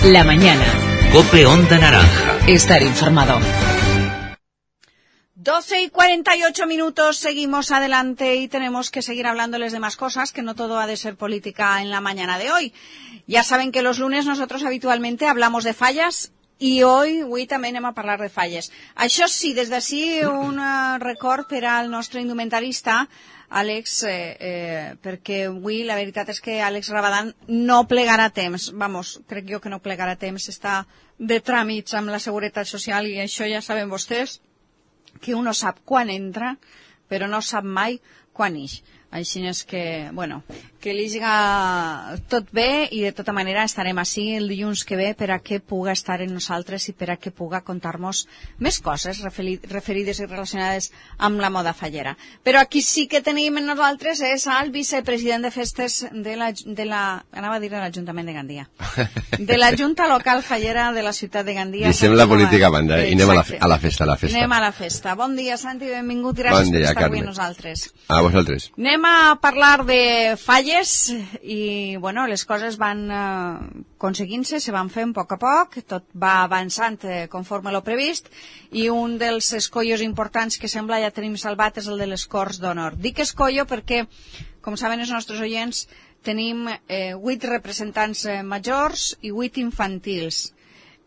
La mañana. COPE Onda Naranja. Estar informado. 12:48, seguimos adelante y tenemos que seguir hablándoles de más cosas, que no todo ha de ser política en la mañana de hoy. Ya saben que los lunes nosotros habitualmente hablamos de fallas i avui també anem a parlar de falles. Això sí, des d'ací un record per al nostre indumentarista, Àlex, perquè avui la veritat és que Àlex Rabadán no plegarà temps. Vamos, crec jo que no plegarà temps, està de tràmits amb la Seguretat Social i això ja saben vostès, que uno sap quan entra, però no sap mai quan ix. Així és que, bueno, que li siga tot bé i de tota manera estarem així el dilluns que ve per a que puga estar en nosaltres i per a que puga contar-nos més coses referides i relacionades amb la moda fallera. Però aquí sí que tenim en nosaltres és el vicepresident de festes anava a dir de l'Ajuntament de Gandia, de la Junta Local Fallera de la ciutat de Gandia. Deixem la política a banda i anem a la festa. Anem a la festa. Bon dia, Santi, benvingut, gràcies per estar avui amb nosaltres. A vosaltres. Anem a parlar de falles i, bueno, les coses van aconseguint-se, se van fent a poc, tot va avançant conforme lo previst i un dels escollos importants que sembla ja tenim salvat és el de les Corts d'Honor. Dic escollo perquè, com saben els nostres oients, tenim 8 representants majors i 8 infantils.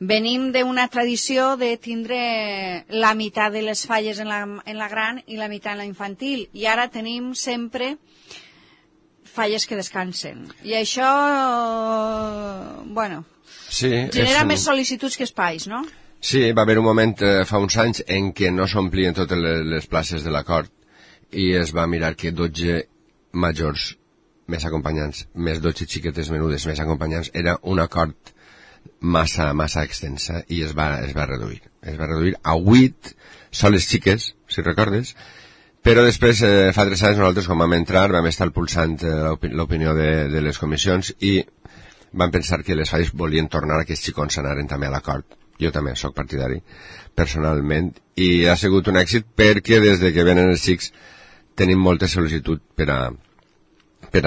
Venim d'una tradició de tindre la meitat de les falles en la gran i la meitat en la infantil i ara tenim sempre falles que descansen. I això, bueno, sí, genera més sol·licituds que espais, no? Sí, va haver un moment fa uns anys en què no s'omplien totes les places de l'acord i es va mirar que 12 majors més acompanyants, més 12 xiquetes menudes més acompanyants, era un acord massa extensa i es va reduir. Es va reduir a 8 soles xiques, si recordes, però després, fa 3 anys, nosaltres, quan vam entrar, vam estar pulsant l'opinió de les comissions i vam pensar que les falles volien tornar a que els xicons anaren també a l'acord. Jo també sóc partidari, personalment, i ha sigut un èxit perquè des de que venen els xics tenim molta sol·licitud per a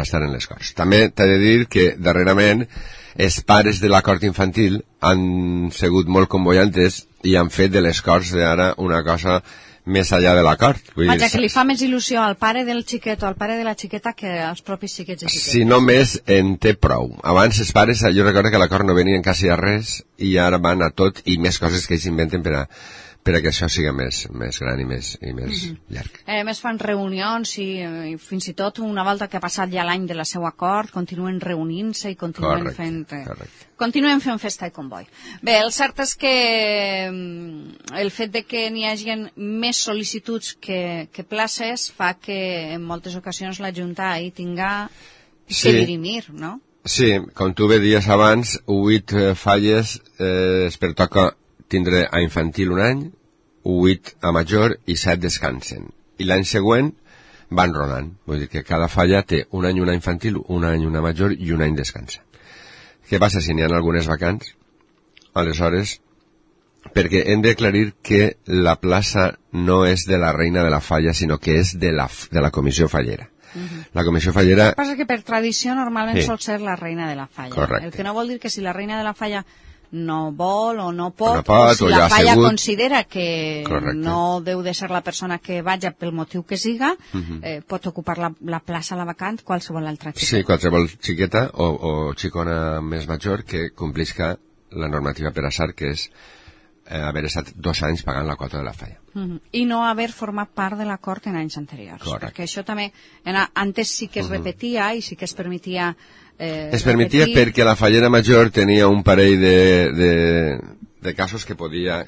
estar en les Corts. També t'he de dir que, darrerament, els pares de l'acord infantil han sigut molt convoyantes i han fet de les Corts d'ara una cosa més allà de l'acord. Vaja, que li fa més il·lusió al pare del xiquet o al pare de la xiqueta que als propis xiquets i xiquetes. Si només en té prou. Abans els pares, jo recordo que a l'acord no venien quasi a res i ara van a tot i més coses que ells inventen per a que això sigui més gran i més llarg. A més fan reunions i fins i tot una volta que ha passat ja l'any de la seu acord continuen reunint-se i continuen continuen fent festa i comboi. Bé, el cert és que el fet de que n'hi hagi més sol·licituds que places fa que en moltes ocasions la Junta hi tinga que dirimir, no? Sí, com tu bé dies abans, 8 falles es pertoca tindre a infantil un any, 8 a major i 7 descansen. I l'any següent van rolant. Vull dir que cada falla té un any una infantil, un any una major i un any descansa. Què passa si n'hi ha algunes vacants? Aleshores, perquè hem d'aclarir que la plaça no és de la reina de la falla, sinó que és de la comissió fallera. La comissió fallera... El que passa que per tradició normalment sol ser la reina de la falla. Correcte. El que no vol dir que si la reina de la falla no vol o no pot, o si la falla considera que no deu de ser la persona que vaja pel motiu que siga, pot ocupar la plaça, la vacant, qualsevol altra xiqueta. Sí, qualsevol xiqueta o xicona més major que complisca la normativa per assar, que és haver estat 2 anys pagant la quota de la falla. I no haver format part de l'acord en anys anteriors. Correcte. Perquè això també, antes sí que es repetia i sí que es permetia es permetia perquè la fallera major tenia un parell de casos que podia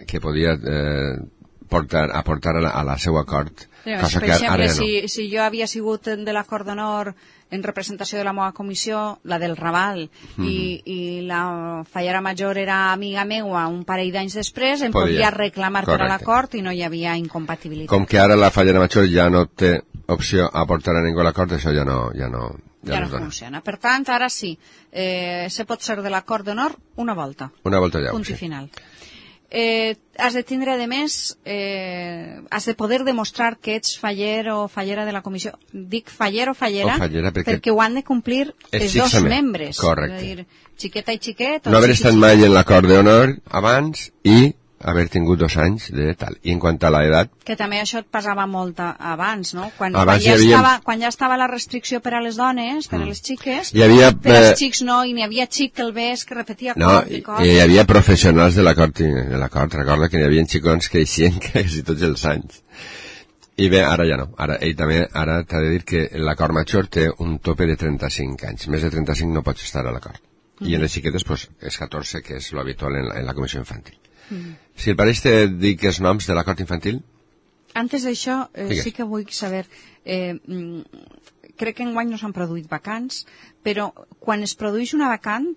aportar a la seu acord. Per exemple, si jo havia sigut de l'acord d'honor en representació de la meva comissió, la del Raval, i la fallera major era amiga meua un parell d'anys després, em podia reclamar per a l'acord i no hi havia incompatibilitat. Com que ara la fallera major ja no té opció a aportar a ningú a l'acord, això ja no funciona. Per tant, ara sí, se pot ser de l'acord d'honor una volta. Una volta ja. Punt i final. has de tindre, a més, has de poder demostrar que ets faller o fallera de la comissió. Dic faller o fallera perquè ho han de complir els dos membres. Correcte. És a dir, xiqueta i xiquet... No haver estat mai en l'acord d'honor abans i haver tingut 2 anys de tal. I en quant a l'edat... Que també això et passava molt abans, no? Quan ja estava la restricció per a les dones, per a les xiques, per als xics no, i n'hi havia xic que el ves que repetia cop i cop. No, hi havia professionals de l'acord. Recorda que n'hi havia xicons que eixien quasi tots els anys. I bé, ara ja no. Ara t'ha de dir que l'acord major té un tope de 35 anys. Més de 35 no pots estar a l'acord. I en les xiquetes, pues, és 14, que és l'habitual en la comissió infantil. Si el pareix te dic els noms de l'acord infantil? Antes d'això, sí que vull saber... crec que enguany no s'han produït vacants, però quan es produeix una vacant,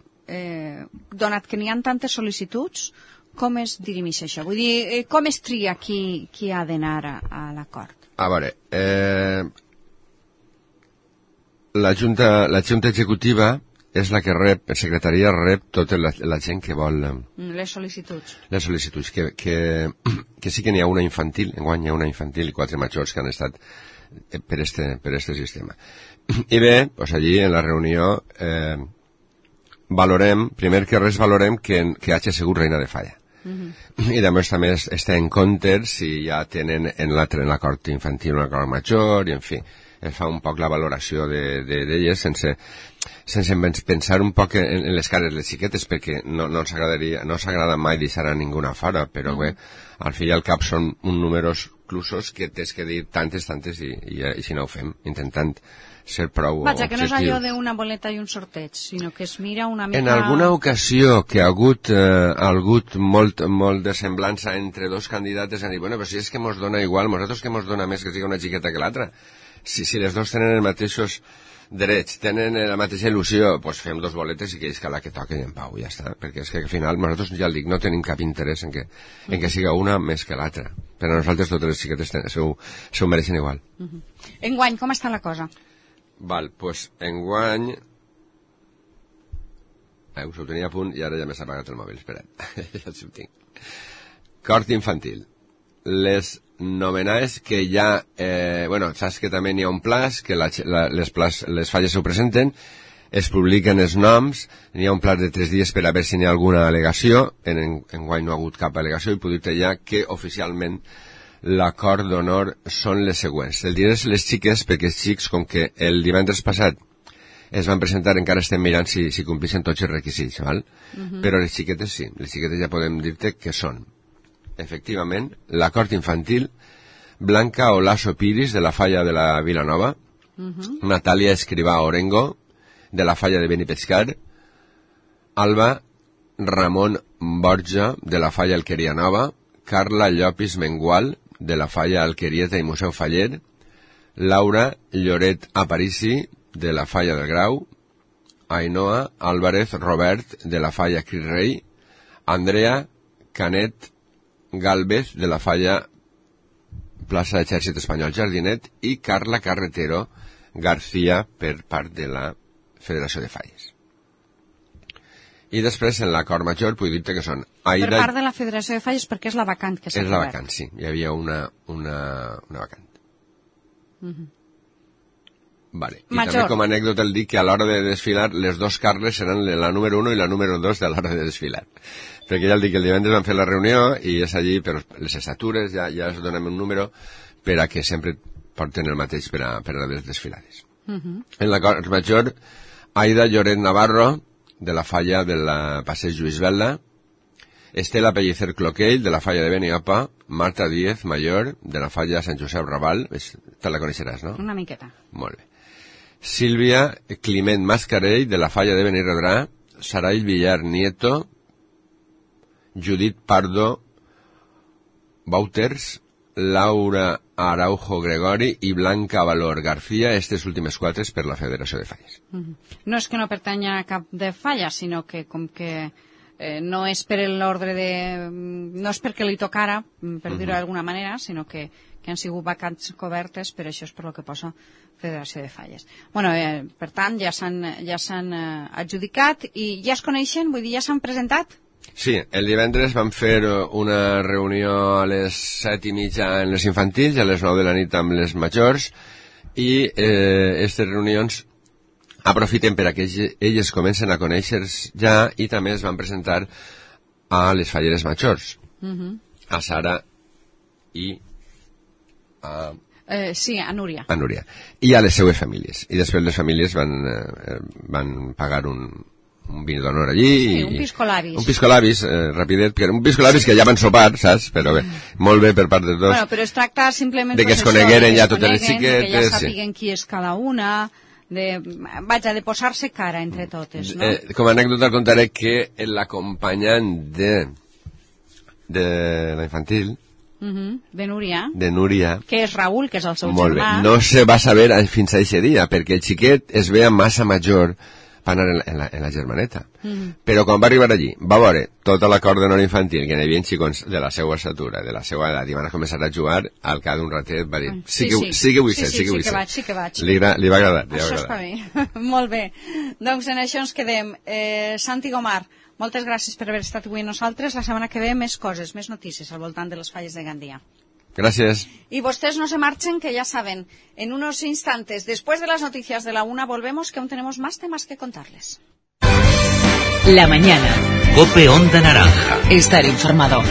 donat que n'hi ha tantes sol·licituds, com es dirimeix això? Vull dir, com es tria qui ha d'anar a l'acord? A veure, la Junta Executiva és la que rep, la secretaria rep tota la gent que vol... Les sol·licituds. Les sol·licituds, que sí que n'hi ha una infantil, enguany hi ha una infantil i 4 majors que han estat per este sistema. I bé, doncs allí en la reunió valorem, primer que res valorem que hagi sigut reina de falla. I després també està en compte si ja tenen en l'acord infantil un acord major, i en fi, es fa un poc la valoració d'elles sense pensar un poc en les cares de les xiquetes, perquè no s'agrada mai deixar a ningú fora, però bé, al fi i al cap són uns números clusos que tens que dir tantes i si no ho fem, intentant ser prou objectius. Vaja, que no és allò d'una boleta i un sorteig, sinó que es mira una mica... En alguna ocasió que ha hagut molt de semblança entre dos candidates, han dit, bueno, però si és que mos dona igual, nosaltres que mos dona més que sigui una xiqueta que l'altra. Si les dos tenen els mateixos drets, tenen la mateixa il·lusió, doncs fem 2 boletes i que és la que toquen en pau, ja està. Perquè és que al final nosaltres, ja el dic, no tenim cap interès en que siga una més que l'altra. Però nosaltres totes les xiquetes s'ho mereixen igual. Enguany, com està la cosa? Val, doncs enguany... Us ho tenia a punt i ara ja m'he apagat el mòbil, espera't. Ja ho tinc. Cort infantil. Les nomenades que ja... saps que també n'hi ha un plaç, que les falles ho presenten, es publiquen els noms, n'hi ha un plaç de 3 dies per a veure si n'hi ha alguna al·legació, enguany no ha hagut cap al·legació, i puc dir-te ja que oficialment l'acord d'honor són les següents. El diré les xiques, perquè els xics, com que el divendres passat es van presentar, encara estem mirant si complixen tots els requisits, val? Però les xiquetes sí, les xiquetes ja podem dir-te que són efectivament, l'acord infantil, Blanca Olaso Piris, de la falla de la Vilanova, Natàlia Escrivà Orengo, de la falla de Benipescar, Alba Ramon Borja, de la falla Alqueria Nova, Carla Llopis Mengual, de la falla Alquerieta i Museu Faller, Laura Lloret Aparici, de la falla del Grau, Ainhoa Álvarez Robert, de la falla Crit Rei, Andrea Canet Galvez, de la falla plaça Exèrcit Espanyol Jardinet, i Carla Carretero García, per part de la Federació de Falles. I després, en l'acord major, puc dir-te que són Aida... Per part de la Federació de Falles, perquè és la vacant que s'ha cobert. És la vacant, sí. Hi havia una vacant. Vale. I també com a anècdota el dic que a l'hora de desfilar les 2 Carles seran la número 1 i la número 2 de l'hora de desfilar. Perquè ja el dic que el divendres van fer la reunió i és allí, però les estatures ja es donem un número per a que sempre porten el mateix per a les desfilades. En l'acord major, Aida Lloret Navarro, de la falla de la Passeig Lluís Vela, Estela Pellicer Cloquell, de la falla de Beniopa, Marta Díez Mayor, de la falla Sant Josep Raval, te la coneixeràs, no? Una miqueta. Molt bé. Sílvia Climent Mascarell, de la falla de Benirredrà, Saray Villar Nieto, Judit Pardo Bauters, Laura Araujo Gregori i Blanca Valor García, aquestes últimes 4 per la Federació de Falles. No és que no pertanya a cap de falla, sinó que com que no és per l'ordre de... no és perquè li tocara, per dir-ho d'alguna manera, sinó que han sigut vacants cobertes, per això és per el que posa Federació de Falles. Bueno, per tant, ja s'han adjudicat i ja es coneixen, vull dir, ja s'han presentat? Sí, el divendres vam fer una reunió a les 7:30 en les infantils i a les 9 de la nit amb les majors, i aquestes reunions aprofiten per a que elles comencen a conèixer ja, i també es van presentar a les falleres majors, a Sara i a... sí, a Núria. A Núria. I a les seues famílies. I després les famílies van pagar un vino d'honor allí. Sí, un piscolabis. Un piscolabis, rapidet, que era un piscolabis que ja van sopar, saps? Però bé, molt bé per part dels dos. Bueno, però es tracta simplement... De que es conegueren ja totes les xiquetes. Que ja sàpiguen qui és cada una, de posar-se cara entre totes, no? Com a anècdota contaré que l'acompanyant de la infantil, de Núria, que és Raül, que és el seu germà. Molt bé, no se va saber fins a aquest dia, perquè el xiquet es veia massa major per anar en la germaneta. Però quan va arribar allí, va veure tota la cort d'honor infantil, que hi havia xicons de la seva estatura, de la seva edat, i van començar a jugar. Al cap d'un ratet va dir, sí que vull ser. Sí que vaig. Li va agradar. Això està bé. Molt bé. Doncs en això ens quedem. Santi Gomar, moltes gràcies per haver estat avui amb nosaltres. La setmana que ve més coses, més notícies al voltant de les falles de Gandia. Gracias. Y ustedes no se marchen, que ya saben, en unos instantes, después de las noticias de la 1, volvemos, que aún tenemos más temas que contarles. La mañana. COPE Onda Naranja. Estar informado.